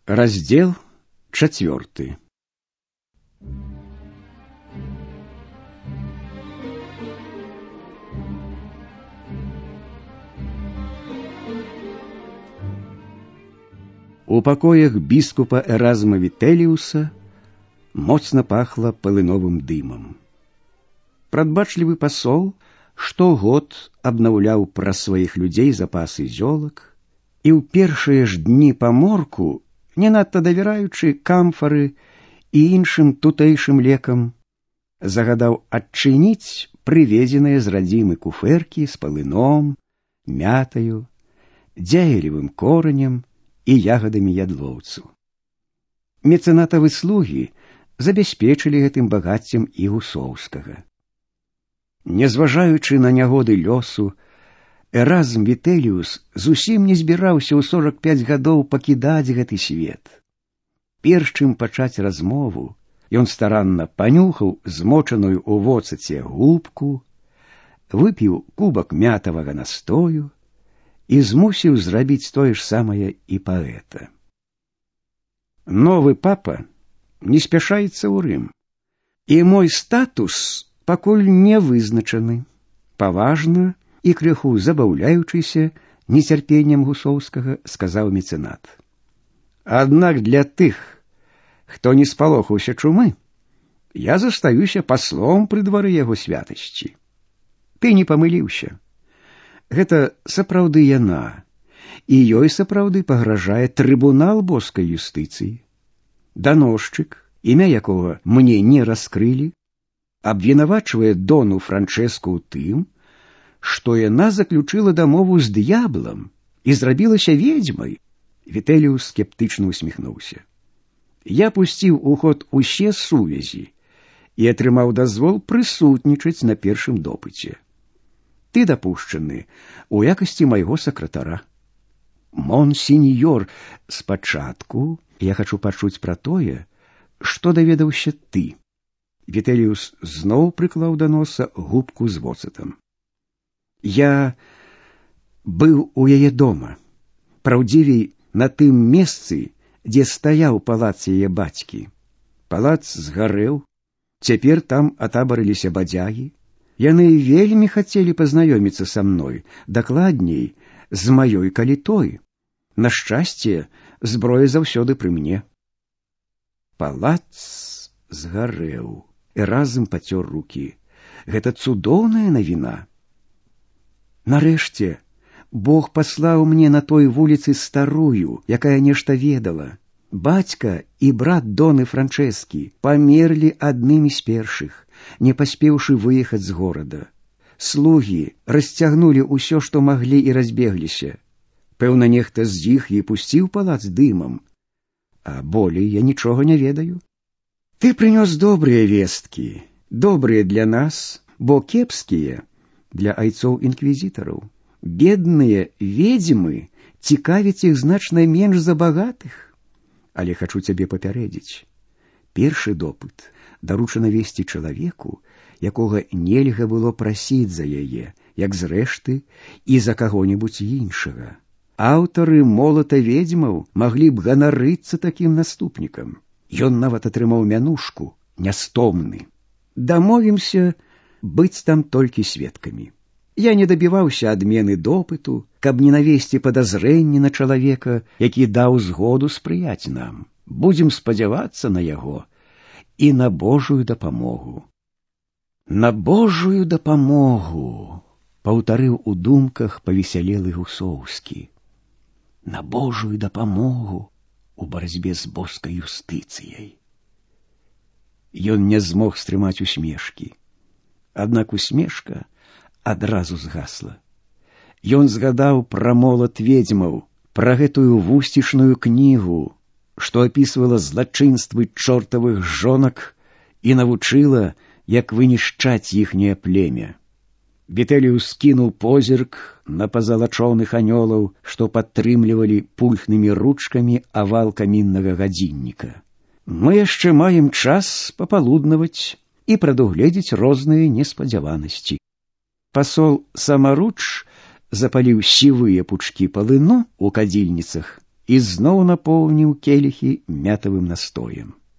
Раздел 4. У пакоях біскупа Эразма Вітэліуса моцна пахла палыновым дымам. Прадбачлівы пасол штогод абнаўляў пра сваіх людзей запасы зёлак, і ў першыя ж дні паморку, не надта давяраючы камфары і іншым тутэйшым лекам, загадаў адчыніць прывезеныя з радзімы куфэркі з палыном, мятаю, дзяйлівым коранем і ягадамі ядлоўцу. Мецэнатавы слугі забяспечылі гэтым багаццем і Гусоўскага. Нязважаючы на нягоды лёсу, Эразм Вітэліус зусім не збіраўся ў 45 гадоў пакідаць гэты свет. Перш чым пачаць размову, ён старанна панюхаў змочаную ў воцаце губку, выпіў кубак мятавага настою і змусіў зрабіць тое ж самае і паэта. Новы папа не спяшаецца ў Рым, і мой статус пакуль не вызначаны, паважна і крыху забаўляючыся нецярпеннем Гусоўскага, сказаў мецэнат. Аднак для тых, хто не спалохаўся чумы, я застаюся паслом пры двары яго святасці. Ты не памыліўся. Гэта сапраўды яна, і ёй сапраўды пагражае трыбунал боскай юстыцыі. Даносчык, імя якога мне не раскрылі, абвінавачвае дону Франчэску ў тым, што яна заключыла дамову з д'яблам і зрабілася ведзьмай. Вітэліус скептычна усміхнуўся. Я пусціў у ход усе сувязі і атрымаў дазвол прысутнічаць на першым допыце. Ты дапушчаны у якасці майго сакратара. Монсеньёр, спачатку я хачу пачуць пра тое, што даведаўся ты. Вітэліус зноў прыклаў да носа губку з воцатам. Я быў у яе дома, праўдзівей на тым месцы, дзе стаяў палац яе бацькі. Палац згарэў, цяпер там атабарыліся бадзягі. Яны вельмі хацелі пазнаёміцца са мной, дакладней, з маёй калітой. На шчасце, зброя заўсёды пры мне. Палац згарэў. Эразм пацёр рукі. Гэта цудоўная навіна. Нарэшце, Бог паслаў мне на той вуліцы старую, якая нешта ведала. Бацька і брат доны Франчэскі памерлі аднымі з першых, не паспеўшы выехаць з горада. Слугі расцягнулі ўсё, што маглі, і разбегліся. Пэўна, нехта з іх і пусціў палац дымам. А болей я нічога не ведаю. Ты прынёс добрыя весткі, добрыя для нас, бо кепскія для айцоў інквізітараў. Бедныя ведзьмы цікавяць іх значна менш за багатых. Але хачу цябе папярэдзіць. Першы допыт даручана весці чалавеку, якога нельга было прасіць за яе, як зрэшты, і за каго-небудзь іншага. Аўтары молата ведзьмаў маглі б ганарыцца такім наступнікам. Ён нават атрымаў мянушку «Нястомны». Дамовімся быць там толькі сведкамі. Я не дабіваўся адмены допыту, каб не навесці падазрэнні на чалавека, які даў згоду спрыяць нам. Будзем спадзявацца на яго і на Божую дапамогу. На Божую дапамогу, паўтарыў у думках павесялелы Гусоўскі. На Божую дапамогу у барацьбе з боскай юстыцыяй. Ён не змог стрымаць усмешкі. Аднак усмешка адразу згасла. Ён згадаў пра молат ведзьмаў, пра гэтую вусцішную кнігу, што апісвала злачынствы чортавых жонак і навучыла, як вынішчаць іхняе племя. Вітэліус скінуў позірк на пазалачоных анёлаў, што падтрымлівалі пульхнымі ручкамі авал каміннага гадзінніка. Мы яшчэ маем час папалуднаваць і прадугледзець розныя неспадзяванасці. Пасол самаруч запаліў сівыя пучкі палыну ў кадзільніцах і зноў напоўніў келіхі мятавым настоем.